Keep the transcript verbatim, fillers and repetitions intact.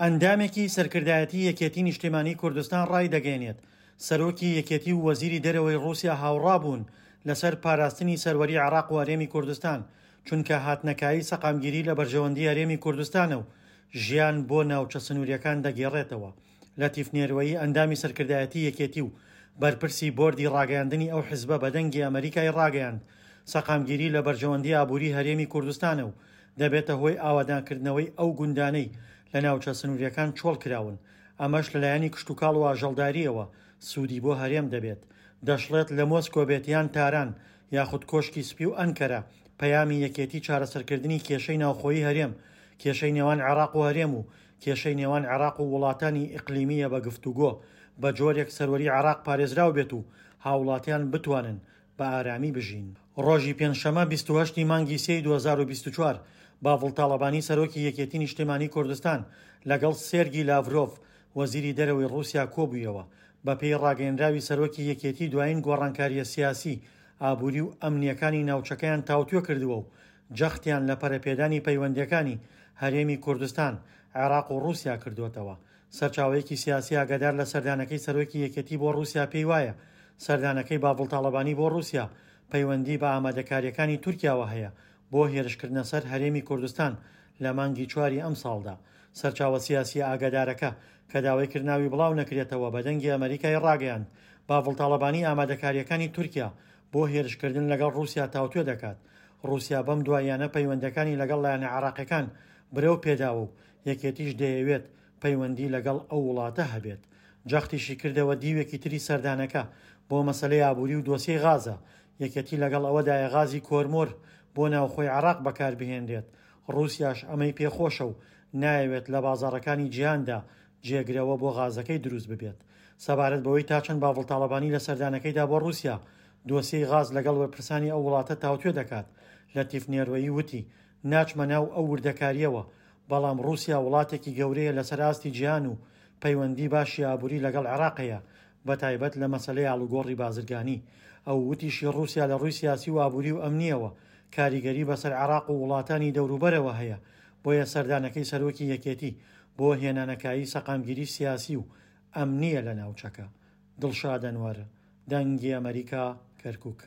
ئەندامێکی سەرکردایەتی یەکێتی نیشتیمانی کوردستان ڕایدەگەیەنێت، سەرۆکی یەکێتی و وەزیری دەرەوەی ڕووسیا هاوڕابوون لەسەر پاراستنی سەروەری عێراق و هەرێمی کوردستان، چونکە هاتنەکایی سەقامگیری لە بەرژەوەندی هەرێمی کوردستانە و ژیان بۆ ناوچە سنووریەکان دەگێڕێتەوە. لەتیف نێروەیی ئەندامی سەرکردایەتی یەکێتی و بەرپرسی بۆردی ڕاگەیاندنی ئەو حزبە بە دەنگی ئەمەریکای ڕاگەیاند، سەقامگیری لە بەرژەوەندی ئابووری هەرێمی کوردستانە و دەبێتە هۆی ئاوادانکردنەوەی ئەو گوندانەی لە ناوچە سنووریەکان چۆڵ کراون، ئەمەش لەلایەنی کشتوکاڵ و ئاژەڵداریەوە سوودی بۆ هەرێم دەبێت. دەشڵێت لە مۆسکۆ بێت یان تاران یاخود کۆشکی سپی و ئەنکەرە، پەیامی یەکێتی چارەسەرکردنی کێشەی ناوخۆیی هەرێم، کێشەی نێوان عێراق و هەرێم و کێشەی نێوان عێراق و وڵاتانی ئیقلیمیە بە گفتوگۆ، بە جۆرێک سەروەری عێراق پارێزراو بێت و هاوڵاتیان بتوانن بە ئارامی بژین. ڕۆژی پێنجشەممە بیست و هەشت ی مانگی سێی دوو هەزار و بیست و چوار باڤڵ تاڵەبانی سەرۆکی یەکێتی نیشتیمانی کوردستان لەگەڵ سێرگی لاڤرۆڤ وەزیری دەرەوەی ڕووسیا کۆبوویەوە. بەپێی ڕاگەیەنراوی سەرۆکی یەکێتی دوایین گۆڕانکاریە سیاسی، ئابووری و ئەمنیەکانی ناوچەکەیان تاوتوێ کردووە و جەختیان لە پەرەپێدانی پەیوەندیەکانی هەرێمی کوردستان، عێراق و ڕووسیا کردووەتەوە. سەرچاوەیەکی سیاسی ئاگادار لە سەردانەکەی سەرۆکی یەکێتی بۆ ڕووسیا پێی وایە سەردانەکەی باڤڵ تاڵەبانی بۆ ڕووسیا پەیوەندی بە ئامادەکاریەکانی تورکیاوە هەیە بۆ هێرشکردنە سەر هەرێمی کوردستان لە مانگی چواری ئەمساڵدا. سەرچاوە سیاسی ئاگادارەکە کە داوای کرد ناوی بڵاو نەکرێتەوە بە دەنگی ئەمریکای ڕاگەیاند، باڤڵ تاڵەبانی ئامادەکاریەکانی تورکیا بۆ هێرشکردن لەگەڵ ڕووسیا تاوتوێ دەکات. ڕووسیا بەم دواییانە پەیوەندەکانی لەگەڵ لایەنە عێراقیەکان برەو پێداوە و یەکێتیش دەیەوێت پەیوەندی لەگەڵ ئەو وڵاتە هەبێت. جەختیشی کردەوە دیوێکی تری سەردانەکە بۆ مەسەلەی ئابووری و دۆسیەی غازە. یەکێتی لەگەڵ ئەوەدایە غازی کۆرمۆر بۆ ناوخۆی عێراق بەکاربهێنرێت. ڕووسیاش ئەمەی پێخۆشە و نایەوێت لە بازاڕەکانی جیهاندا جێگرەوە بۆ غازەکەی دروست ببێت. سەبارەت بەوەی تا چەند باڤڵ تاڵەبانی لە سەردانەکەیدا بۆ ڕووسیا دۆسیەی غاز لەگەڵ بەرپرسانی ئەو وڵاتە تاوتوێ دەکات، لەتیف نێروەیی وتی ناچمە ناو ئەو وردەکاریەوە، بەڵام ڕووسیا وڵاتێکی گەورەیە لەسەر ئاستی جیهان و پەیوەندی باشی ئابووری لەگەڵ عێراق هەیە، بەتایبەت لە مەسەلەی ئاڵوگۆڕی بازرگانی. ئەو وتیشی ڕووسیا لە ڕووی سیاسی و ئابووری و ئەمنیەوە کاریگەری بەسەر عێراق و وڵاتانی دەوروبەرەوە هەیە، بۆیە سەردانەکەی سەرۆکی یەکێتی بۆ هێنانەکایی سەقامگیری سیاسی و ئەمنیە لە ناوچەکە. دڵشاد ئەنوەر، دەنگی ئەمریکا، کەرکووک.